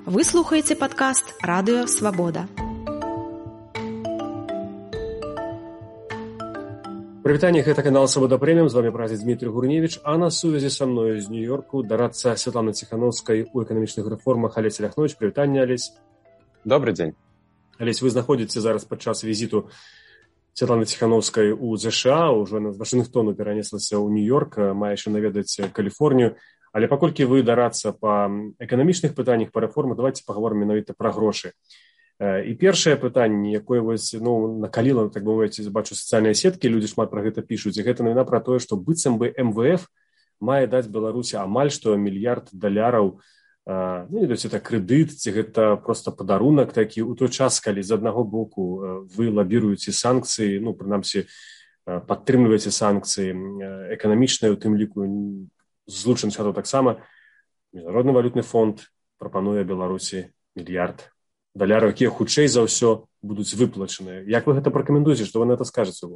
Вы слухаеце падкаст «Радыё Свабода». Прывітанне, гэта канал «Свабода Прэміум», з вами прадзед Дмітрий Гурневич, а на сувязі са мною з Нью-Йорку дарадца Святланы Ціхановскай у эканамічных рэформах Алесь Ляхнович. Прывітанне, Алесь. Добрый дзень. Алесь, вы знаходзіце зараз падчас візіту Святланы Ціхановскай у ЗША, ўжо з Вашынгтону перанеслася ў Нью-Йорк, мае яшчэ наведаць Каліфорнію. Але паколькі вы дарадца па эканамічных пытаннях, па рэформах, давайте паговорым менавіта пра грошы. І першае пытанне, якое накаліла, так бы мовіць, бачу сацыяльныя сеткі, людзі шмат пра гэта пішуць, і гэта навіна пра тое, што быццам бы МВФ мае даць Беларусі амаль што $1 мільярд, это крэдыт, ці гэта проста падарунак такі, у той час, калі з аднаго боку вы лабіруеце санкцыі, прынамсі, падтрымліваеце санкцыі эканамічныя, у тым ліку Злучаных Штатаў таксама, Міжнародны валютны фонд прапануе Беларусі $1 мільярд, якія хутчэй за ўсё будуць выплачаныя. Як вы гэта пракаментуеце, што вы на гэта скажаце?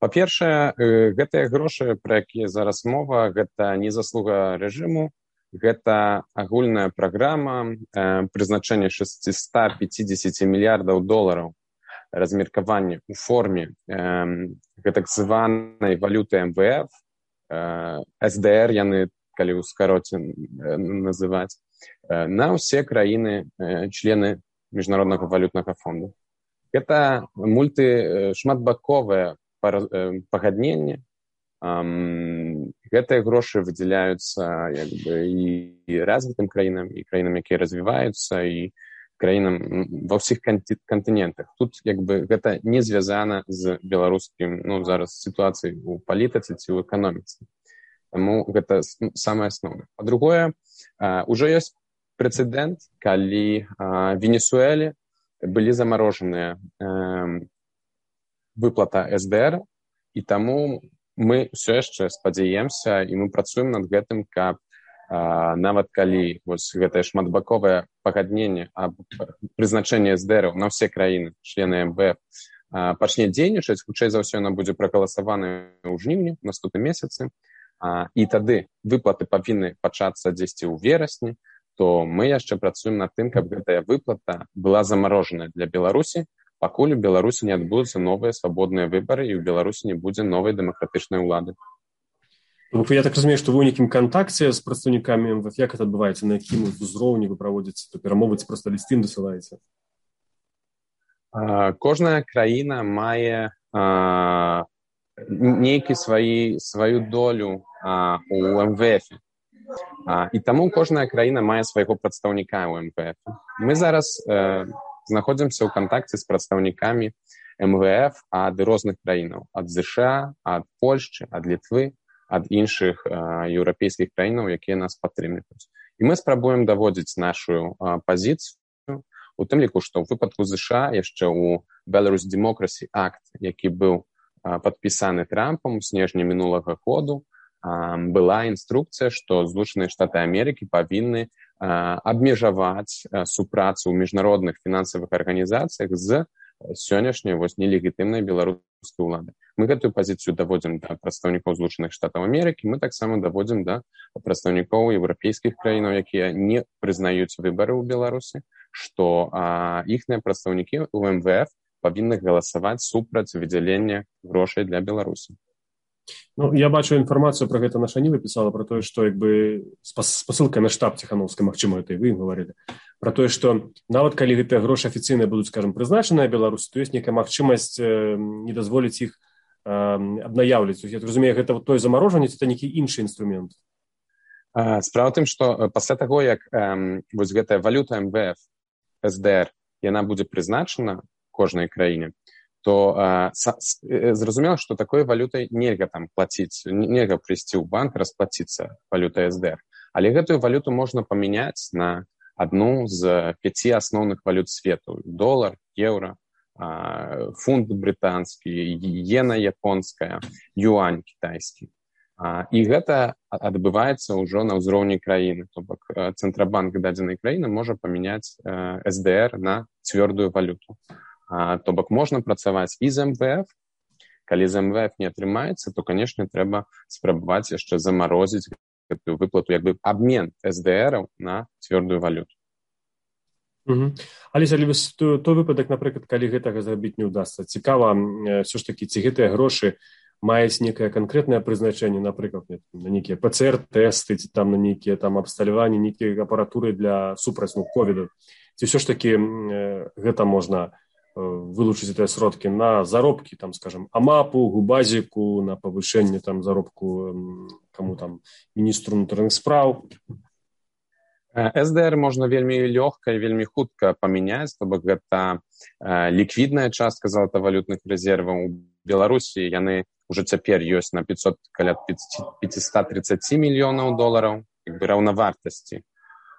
Па-першае, гэтыя грошы, пра якія зараз мова, гэта не заслуга рэжыму, гэта агульная праграма прызначэння $650 мільярдаў размеркавання ў форме гэтак званай валюты МВФ, СДР яны, калі ў скароце называць, на ўсе краіны, члены Міжнароднага валютнага фонду. Гэта шматбаковае пагадненне. Гэтыя грошы выдзяляюцца і развітым краінам, і краінам, якія развіваюцца, і краінам ва ўсіх кантынентах. Тут гэта не звязана з беларускім зараз сітуацыяй у палітыцы ці ў эканоміцы. Таму гэта самае асноўнае. Па-другое, ужо ёсць прэцэдэнт, калі Венесуэле былі замарожаныя выплата СДР, і таму мы ўсё яшчэ спадзяемся, і мы працуем над гэтым, каб нават калі гэтае шматбаковае пагадненне аб прызначэнні СДР на ўсе краіны, члены МВФ, пачне дзейнічаць, хутчэй за ўсё яна будзе прагаласаваная ў жніўні, у наступным месяцы, і тады выплаты павінны пачацца дзесьці ў верасні, то мы яшчэ працуем над тым, каб гэтая выплата была замарожаная для Беларусі, пакуль у Беларусі не адбудуцца новыя свабодныя выбары і ў Беларусі не будзе новай дэмакратычнай улады. Я так разумею, што вы ў нейкім кантакце з прадстаўнікамі МВФ, як гэта адбываецца, на якім узроўні вы праводзіце то перамовы, ці проста лісты ім дасылаеце? Кожная краіна мае нейкі сваю долю у МВФ. І таму кожная краіна мае свайго прадстаўніка ў МВФ. Мы зараз знаходзімся ў кантакце з прадстаўнікамі МВФ ад розных краінаў, ад ЗША, ад Польшчы, ад Літвы, ад іншых еўрапейскіх краінаў, якія нас падтрымліваюць. І мы спрабуем даводзіць нашу пазіцыю, у тым ліку, што ў выпадку ЗША яшчэ ў Belarus Democracy Act, які быў падпісаны Трампам у снежні мінулага году, была інструкцыя, што Злучаныя Штаты Амерыкі павінны абмежаваць супрацу ў міжнародных фінансавых арганізацыях з сённяшняй нелегітымнай беларускай улады. Мы гэтую пазіцыю даводзім да прадстаўнікоў Злучаных Штатаў Амерыкі, мы таксама даводзім да прадстаўнікоў еўрапейскіх краінаў, якія не прызнаюць выбары ў Беларусі, што іхныя прадстаўнікі ў МВФ павінны галасаваць супраць выдзялення грошай для Беларусі. Я бачу інфармацыю пра гэта наша Ніва пісала, пра тое, што спасылкай на штаб Ціхановскай, магчыма, гэта і вы ім гаварылі, пра тое, што нават калі гэтыя грошы афіцыйныя будуць, прызначаныя Беларусі, то ёсць нейкая магчымасць не дазволіць іх абнаяўляць. Я разумею, гэта той замарожанне, ці это нейкі іншы інструмент? Справа ў тым, што пасля таго, як гэтая валюта МВФ, СДР, яна будзе прызначана кожнай краіне, то зразумела, што такой валютай нельга плаціць, нельга прыйсці ў банк, расплаціцца валютай СДР. Але гэтую валюту можна памяняць на адну з 5 асноўных валют свету: долар, еўра, фунт брытанскі, іена японская, юань кітайскі. І гэта адбываецца ўжо на ўзроўні краіны. То бок цэнтрабанк дадзенай краіны можа памяняць СДР на цвёрдую валюту. То бок можна працаваць і з МВФ. Калі з МВФ не атрымаецца, то, канешне, трэба спрабаваць яшчэ замарозіць гэтую выплату, як бы абмен СДРаў на цвёрдую валюту. Аліса, той выпадак, напрыклад, калі гэтага зрабіць не ўдасца, цікава, ўсё ж такі, ці гэтыя грошы маюць некае канкрэтнае прызначэнне, напрыклад, на нейкія ПЦР-тэсты, ці там на нейкія там абсталяванні, нейкія апаратуры для супраць ковіду. Ці ўсё ж такі гэта можна вылучыць гэтыя сродкі на заробкі, там, скажем, АМАПу, Губазіку, на павышэнне там заробку каму там міністру ўнутраных спраў. СДР можна вельмі лёгка і вельмі хутка памяняць, то бок гэта ліквідная частка золотавалютных рэзерваў у Беларусі, яны ўжо цяпер ёсць на каля 530 мільёнаў долараў, як бы раўнавартасці.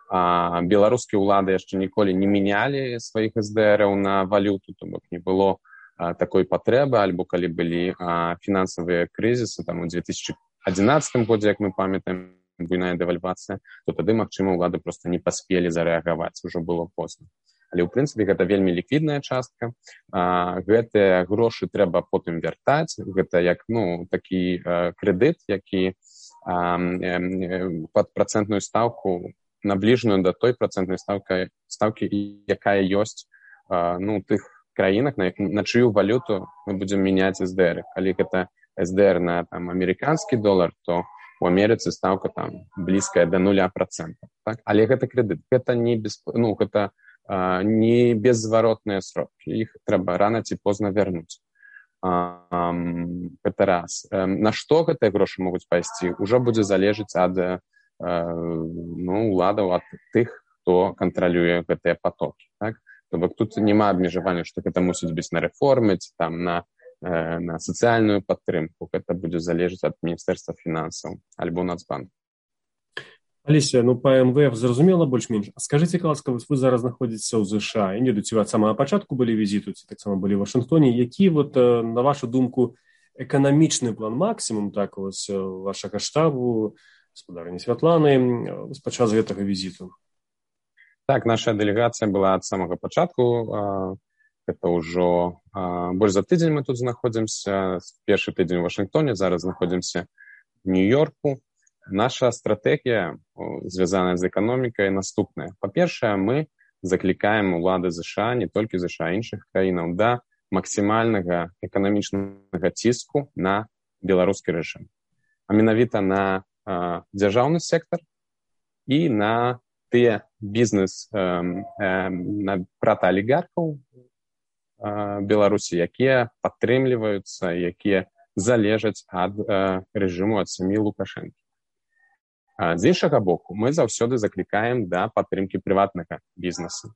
Беларускія ўлады яшчэ ніколі не мянялі сваіх СДРаў на валюту, то бок не было такой патрэбы, альбо калі былі фінансавыя крызісы, там у 2011 годзе, як мы памятаем, буйная дэвальвацыя, то тады, магчыма, ўлады проста не паспелі зарэагаваць, ужо было позна. Але, ў прынцыпе, гэта вельмі ліквідная частка. Гэтыя грошы трэба потым вяртаць. Гэта як, такі крэдыт, які пад працэнтную стаўку, набліжаную да той працэнтнай стаўкі, якая ёсць у тых краінах, на чыю валюту мы будзем мяняць СДР. Калі гэта СДР на амерыканскі долар, то у Амерыцы стаўка там блізкая да 0%. Так? Але гэта крэдыт, гэта не беззваротныя сродкі. Іх трэба рана ці позна вярнуць. Гэта раз. На што гэтыя грошы могуць пайсці, ўжо будзе залежыць ад уладаў, ад тых, хто кантралюе гэтыя потокі. Так? То бок тут няма абмежавання, што гэта мусіць быць на рэформы, ці там на сацыяльную падтрымку. Гэта будзе залежыць ад Міністэрства фінансаў альбо Нацбанку. Аліся, па МВФ зразумела больш-менш. А скажыце, ласка, вы зараз знаходзіцеся ў ЗША, і не ці ад самага пачатку былі візіту, ці таксама былі ў Вашынгтоне. Які, на вашу думку, эканамічны план максімум вашага штабу, гаспадарыні Святланы, падчас гэтага візіту? Так, наша дэлегацыя была ад самага пачатку. Это ўжо больш за тыдзень мы тут знаходзімся. Першы тыдзень у Вашынгтоне, зараз знаходзімся в Нью-Йорку. Наша стратэгія, звязаная з эканомікай, наступная. Па-першае, мы заклікаем улады ЗША, не толькі ЗША, іншых краінаў, да максімальнага эканамічнага ціску на беларускі рэжым. А менавіта на дзяржаўны сектар і на тыя бізнес пратаалігархаў Беларусі, якія падтрымліваюцца, якія залежаць ад рэжыму, ад сям'і Лукашэнкі. З іншага боку, мы заўсёды заклікаем да падтрымкі прыватнага бізнесу.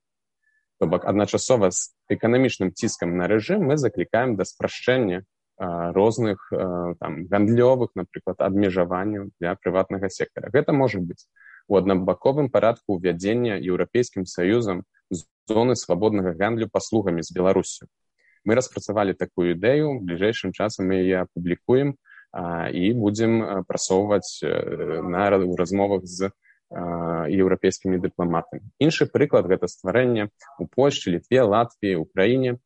То бок, адначасова з эканамічным ціскам на рэжым мы заклікаем да спрашчэння розных гандлёвых, напрыклад, абмежаванняў для прыватнага сектара. Гэта можа быць у аднабаковым парадку ўвядзення Еўрапейскім Саюзам зоны свабоднага гандлю паслугамі з Беларусю. Мы распрацавалі такую ідэю, в бліжэйшым часам мы яе апублікуем і будзем прасоўваць на размовах з еўрапейскімі дыпламатамі. Іншы прыклад гэта стварэнне у Польшчы, Літве, Латвіі, Украіне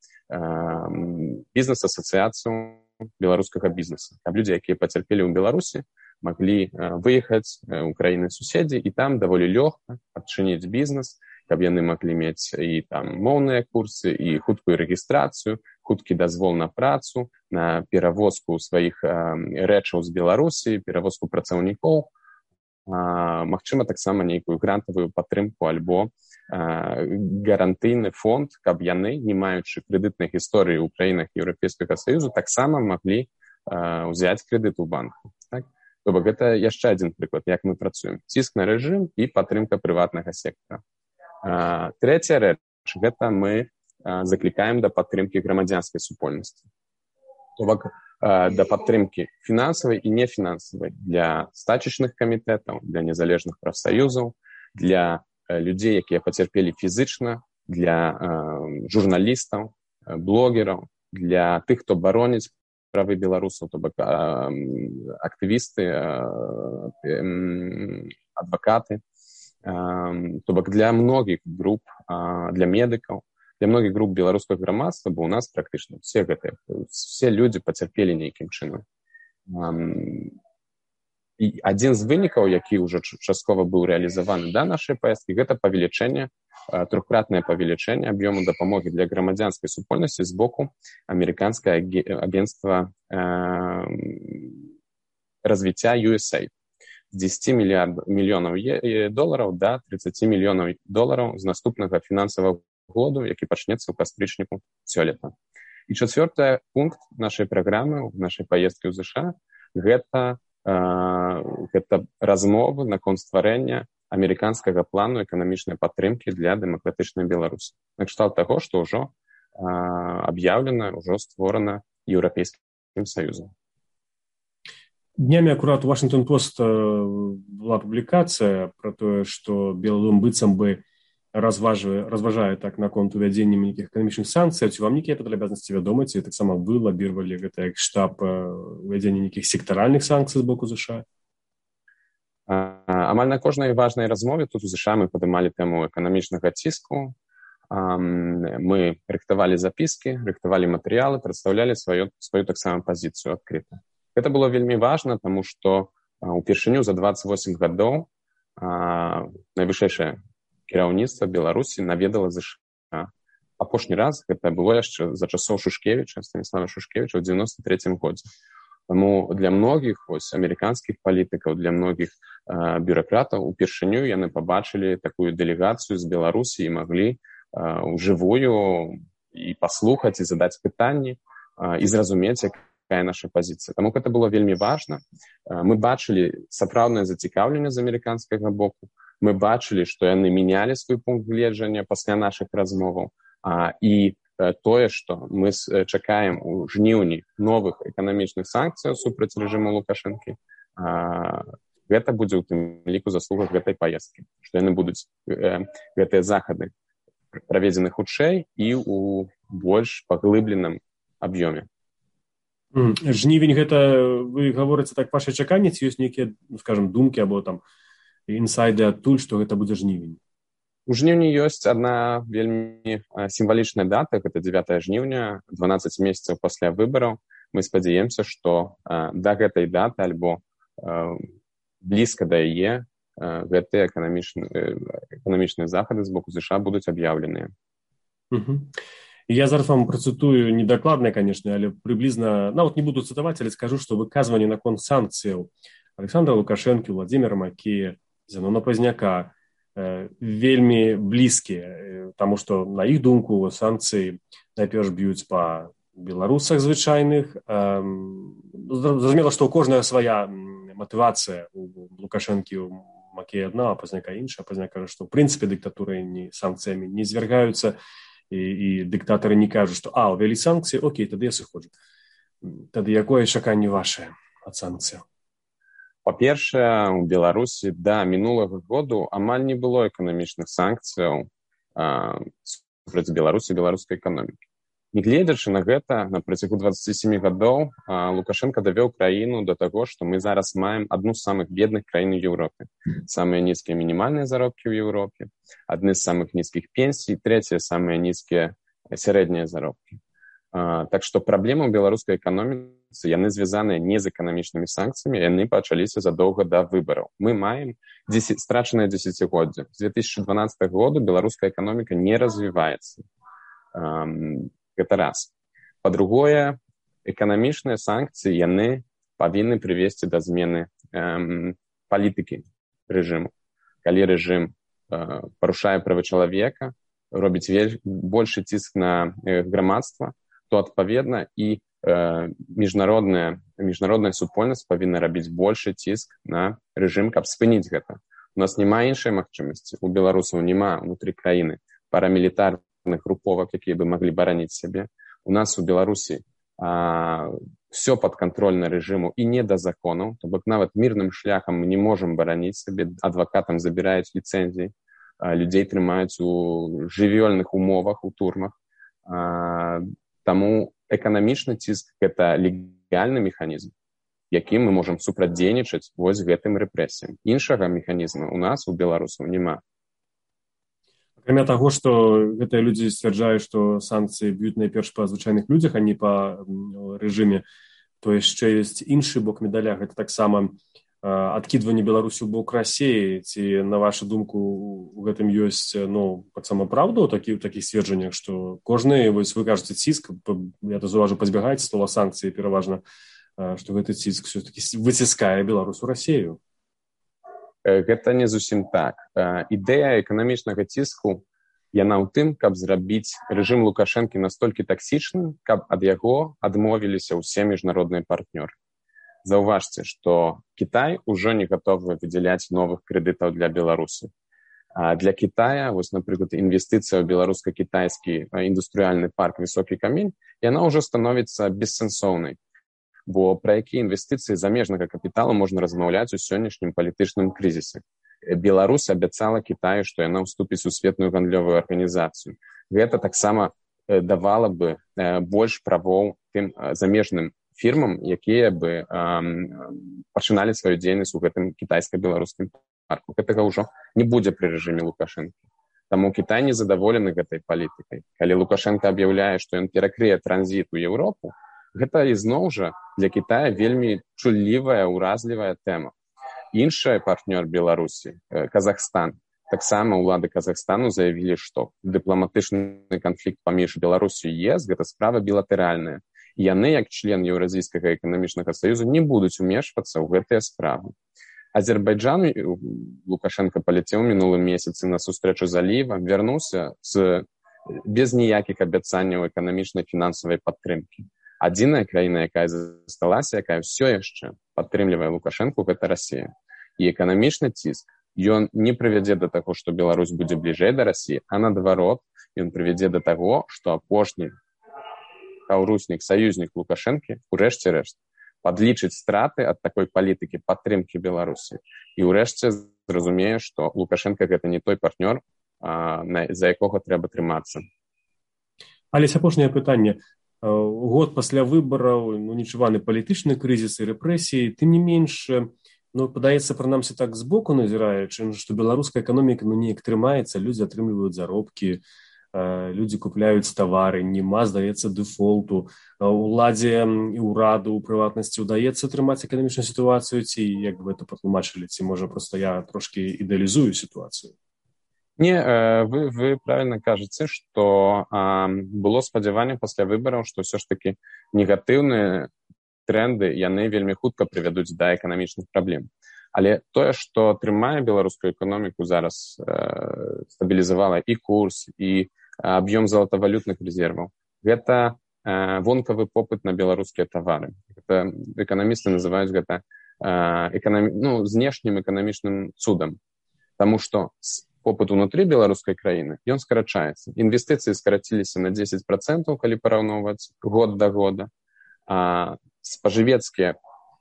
бізнес-асацыяцыю беларускага бізнеса. Каб людзі, якія пацярпелі ў Беларусі, маглі выехаць у краіны-суседзі і там даволі лёгка адчыніць бізнес, каб яны маглі мець і там моўныя курсы, і хуткую рэгістрацыю, хуткі дазвол на працу, на перавозку сваіх рэчаў з Беларусі, перавозку працаўнікоў, магчыма, таксама нейкую грантавую падтрымку альбо гарантыйны фонд, каб яны, не маючы крэдытнай гісторыі ў краінах Еўрапейскага Саюзу, таксама маглі ўзяць крэдыт у банку. Так? То бок, гэта яшчэ адзін прыклад, як мы працуем. Ціск на рэжым і падтрымка прыватнага сектара. Трэця рэч, гэта мы заклікаем да падтрымкі грамадзянскай супольнасці. То бок, да падтрымкі фінансавай і нефінансавай для стачачных камітэтаў, для незалежных прафсаюзаў, для людзей, якія пацярпелі фізычна, для журналістаў, блогераў, для тых, хто бароніць правы беларусаў, то бок актывісты, адвакаты, то бок для многіх груп, для медыкаў, для многіх груп беларускага грамадства, бо у нас практычна все людзі пацярпелі нейкім чынам. І адзін з вынікаў, які ўжо часткова быў рэалізаваны да нашай паездкі, гэта трохкратнае павелічэнне аб'ёму дапамогі для грамадзянскай супольнасці з боку амерыканскае агентства развіцця USAID. З 10 мільёнаў долараў да 30 мільёнаў долараў з наступнага фінансавага году, які пачнецца ў кастрычніку сёлета. І чацвёрты пункт нашай праграмы, нашай паездкі ў ЗША, гэта размовы наконт стварэння амерыканскага плану эканамічнай падтрымкі для дэмакратычнай Беларусі. Накшталт таго, што ўжо аб'яўлена, ўжо створана Еўрапейскім Саюзам. Днямі акурат у Вашингтон-Пост была публікацыя пра тое, што Белы дом быццам бы разважае так наконт увядзення нейкіх эканамічных санкцый. Ці вам нейкія падрабязнасці вядомы, ці таксама вы лабіравалі гэта як штаб увядзення нейкіх сектаральных санкцый з боку ЗША? Амаль на кожнай важнай размове тут у ЗША мы падымалі тэму эканамічнага ціску. Мы рыхтавалі запіскі, рыхтавалі матэрыялы, прадстаўлялі сваю таксама пазіцыю адкрыта. Гэта было вельмі важна, таму што упершыню за 28 гадоў найвышэйшае кіраўніцтва Беларусі наведала ЗША. Апошні раз гэта было яшчэ за часоў Шушкевіча, Станіслава Шушкевіча ў 93 годзе. Таму для многіх амерыканскіх палітыкаў, для многіх бюракратаў упершыню яны пабачылі такую дэлегацыю з Беларусі і маглі ўжывую і паслухаць, і задаць пытанні, і зразумець, якая наша пазіцыя. Таму гэта было вельмі важна. Мы бачылі сапраўднае зацікаўленне з амерыканскага боку. Мы бачылі, што яны мянялі свой пункт гледжання пасля нашых размоваў. І тое, што мы чакаем у жніўні новых эканамічных санкцыяў супраць рэжыму Лукашэнкі, гэта будзе ў тым ліку заслуга гэтай паездкі. Што яны будуць гэтыя захады праведзены хутчэй і ў больш паглыбленым аб'ёме. Жнівень гэта, вы гаворыце так, ваша чаканне, ці ёсць нейкія, скажам, думкі або там інсайды адтуль, што гэта будзе жнівень? У жніўні ёсць адна вельмі сімвалічная дата, гэта 9 жніўня, 12 месяцаў пасля выбараў. Мы спадзяемся, што да гэтай даты альбо блізка да яе гэтыя эканамічныя захады з боку ЗША будуць аб'яўленыя. Я зараз вам працытую недакладна, канешне, але прыблізна, нават не буду цытаваць, але скажу, што выказванні наконт санкцыяў Александра Лукашэнкі, Владзіміра Макея, Зенона Пазняка вельмі блізкія, таму што, на іх думку, санкцыі найперш б'юць па беларусах звычайных. Зразумела, што ў кожная свая матывацыя у Лукашэнкі, у Макея адна, а Пазняка іншая. Пазняк кажа, што ў прынцыпе дыктатуры санкцыямі не звяргаюцца, і дыктатары не кажуць, што увялі санкцыі, окей, тады я сыходжу. Тады якое чаканне вашае ад санкцыяў? Па-першае, у Беларусі да мінулага году амаль не было эканамічных санкцыяў супраць Беларусі і беларускай эканомікі. Нягледзячы на гэта, на працягу 27 гадоў Лукашенко давёў краіну да таго, што мы зараз маем адну з самых бедных краін у Еўропе. Самыя нізкія мінімальныя заробкі ў Еўропе, адны з самых нізкіх пенсій, трэція самыя нізкія сярэднія заробкі. Так што праблемы ў беларускай эканоміцы, яны звязаныя не з эканамічнымі санкцыямі, яны пачаліся задоўга да выбараў. Мы маем страчанае дзесяцігоддзе. З 2012 года беларуская эканоміка не развіваецца. Гэта раз. Па-другое, эканамічныя санкцыі, яны павінны прывесці да змены палітыкі рэжыму. Калі рэжым парушае правы чалавека, робіць большы ціск на грамадства, то, адпаведна, і міжнародная супольнасць павінна рабіць большы ціск на рэжым, каб спыніць гэта. У нас няма іншай магчымасці. У беларусаў няма ўнутры краіны парамілітарных груповак, якія бы маглі бараніць сябе. У нас у Беларусі все падкантрольна рэжыму і не да законаў, то бок нават мірным шляхам мы не можам бараніць сабе, адвакатам забіраюць ліцэнзіі, людзей трымаюць у жывёльных умовах, у турмах. Таму эканамічны ціск – гэта легальны механізм, якім мы можам супрацьдзейнічаць вось гэтым рэпрэсіям. Іншага механізма у нас, у беларусаў, няма. Акрамя таго, што гэтыя людзі сцвярджаюць, што санкцыі б'юць найперш па звычайных людзях, а не па рэжыме, то яшчэ ёсць іншы бок медаля. Гэта таксама адкідванне Беларусі ў бок Расіі, ці, на вашу думку, у гэтым ёсць, таксама праўда ў такіх сцверджаннях, што кожны, вось вы кажаце, ціск, я то заўважу, пазбягаеце слова санкцыі пераважна, што гэты ціск все-таки выціскае Беларусь у Расію? Гэта не зусім так. Ідэя эканамічнага ціску, яна ў тым, каб зрабіць рэжым Лукашэнкі настолькі таксічным, каб ад яго адмовіліся ўсе міжнародныя партнёры. Заўважце, што Кітай ужо не гатовы выдзяляць новых крэдытаў для Беларусі. Для Китая, вось, напрыклад, інвестыцыя ў беларуска-кітайскі індустрыяльны парк «Высокі камень», яна ўжо становіцца бессэнсоўнай. Бо пра якія інвестыцыі замежнага капіталу можна размаўляць у сённяшнім палітычным крызісе. Беларусь абяцала Кітаю, што яна ўступіць у светную гандлёвую арганізацыю. Гэта таксама давала бы больш правоў тым замежным фірмам, якія бы пачыналі сваю дзейнасць у гэтым кітайска-беларускім парку. Гэтага ўжо не будзе пры рэжыме Лукашэнкі. Таму Кітай не задаволены гэтай палітыкай. Калі Лукашенко аб'яўляе, што ён перакрые транзіт у Еўропу, гэта ізноў жа для Кітая вельмі чуллівая, уразлівая тэма. Іншы партнёр Беларусі, Казахстан, таксама ўлады Казахстану заявілі, што дыпламатычны канфлікт паміж Беларусю і ЕС гэта справа білатэральная. Яны, як член Еўразійскага эканамічнага саюзу, не будуць умешвацца ў гэтыя справы. Азербайджан, Лукашенко паляцеў мінулым месяцы на сустрэчу з Аліевам, вярнуўся без ніякіх абяцанняў эканамічнай фінансавай падтрымкі. Адзіная краіна, якая засталася, якая ўсё яшчэ падтрымлівае Лукашэнку, гэта Расія. І эканамічны ціск, ён не прывядзе да таго, што Беларусь будзе бліжэй да Расіі, а наадварот, ён прывядзе да таго, што апошні каўруснік, саюзнік Лукашэнкі, урэшце рэшт, падлічыць страты ад такой палітыкі падтрымкі Беларусі. І ўрэшце зразумее, што Лукашенко гэта не той партнёр, за якога трэба трымацца. Але апошняе пытанне. Год пасля выбараў, нечуваны палітычны крызіс і рэпрэсіі, тым не менш, падаецца, прынамсі так збоку назіраючы, што беларуская эканоміка неяк трымаецца, людзі атрымліваюць заробкі, людзі купляюць тавары, няма, здаецца, дэфолту. Уладзе і ўраду ў прыватнасці ўдаецца трымаць эканамічную сітуацыю, ці як вы это патлумачылі, ці можа проста я трошкі ідэалізую сітуацыю? Не, вы правильно кажаце, што было спадзяванне пасля выбараў, што ўсё ж такі негатыўныя тренды, яны вельмі хутка прывядуць да эканамічных праблем. Але тое, што трымае беларускую эканоміку зараз, стабілізавала і курс, і аб'ём золотавалютных рэзерваў, гэта вонкавы попыт на беларускія тавары. Гэта эканамісты называюць гэта знешнім эканамічным цудам. Таму што попыт унутры беларускай краіны, ён скарачаецца. Інвестыцыі скараціліся на 10%, калі параўноўваць год да года. Спажывецкія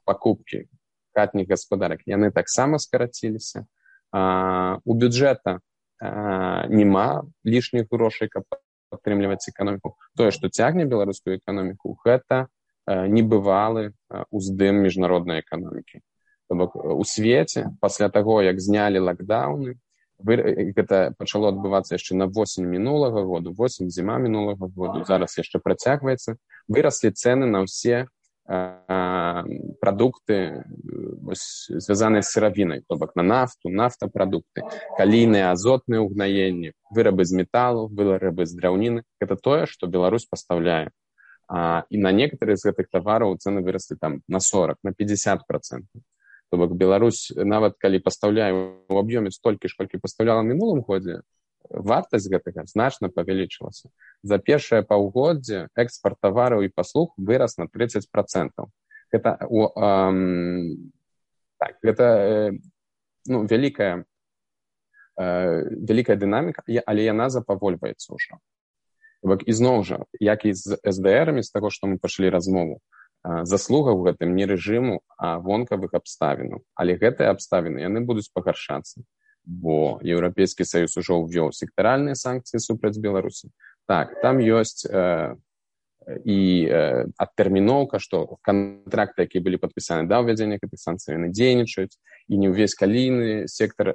пакупкі хатніх гаспадарак, яны таксама скараціліся. У бюджэта няма лішніх грошай, каб падтрымліваць эканоміку. Тое, што цягне беларускую эканоміку, гэта небывалы уздым міжнароднай эканомікі. То бок у свеце, пасля таго, як знялі лакдаўны, гэта пачало адбывацца яшчэ на восень мінулага году, зіма мінулага году, зараз яшчэ працягваецца, выраслі цэны на ўсе прадукты, звязаныя з сыравінай, то бок на нафту, нафтапрадукты, калійныя, азотныя ўгнаенні, вырабы з металу, вырабы з драўніны. Гэта тое, што Беларусь пастаўляе. І на некаторыя з гэтых тавараў цэны выраслі там на 40, на 50%. То бок Беларусь, нават калі пастаўляе ў аб'ёме столькі ж, колькі пастаўляла ў мінулым годзе, вартасць гэтага значна павялічылася. За першае паўгоддзе экспарт тавараў і паслуг вырас на 30%. Гэта вялікая дынаміка, але яна запавольваецца ўжо. Ізноў жа, як і з СДРамі, з таго, што мы пачалі размову, заслуга ў гэтым не рэжыму, а вонкавых абставінаў. Але гэтыя абставіны, яны будуць пагаршацца. Бо Еўрапейскі саюз ужо ўвёў сектаральныя санкцыі супраць Беларусі. Так, там ёсць і адтэрміноўка, што кантракты, якія былі падпісаны да ўвядзення гэтых санкцый, яны дзейнічаюць, і не ўвесь калійны сектар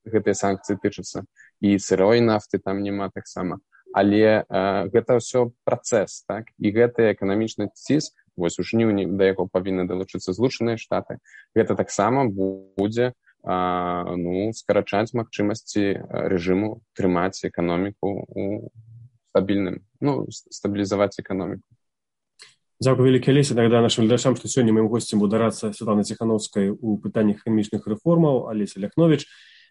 гэтыя санкцыі тычацца, і сырой нафты там няма таксама. Але гэта ўсё працэс, так? І гэты эканамічны ціск, вось у жніўні да яго павінны далучыцца Злучаныя Штаты, гэта таксама будзе скарачаць магчымасці рэжыму трымаць эканоміку у стабілізаваць эканоміку. Дзякуй вялікі, Алеся. Нагадаю нашим глядачам, што сёння маім госцем быў дарадца Святланы Ціханаўскай у пытаннях эканамічных рэформаў Алеся Ляхновіч.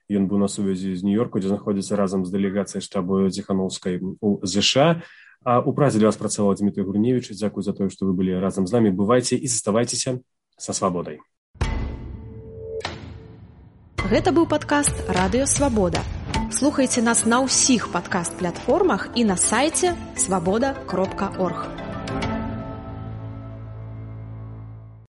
Ён быў на сувязі з Нью-Йорку, дзе знаходзіцца разам з дэлегацыяй штабу Ціханаўскай у ЗША. А у празе для вас працаваў Дмітрый Гурневіч. Дзякуй за тое, што вы былі разам з намі. Бывайце і заставайцеся са свабодай. Гэта быў падкаст «Радыё Свабода». Слухайце нас на ўсіх падкаст-платформах і на сайце swaboda.org.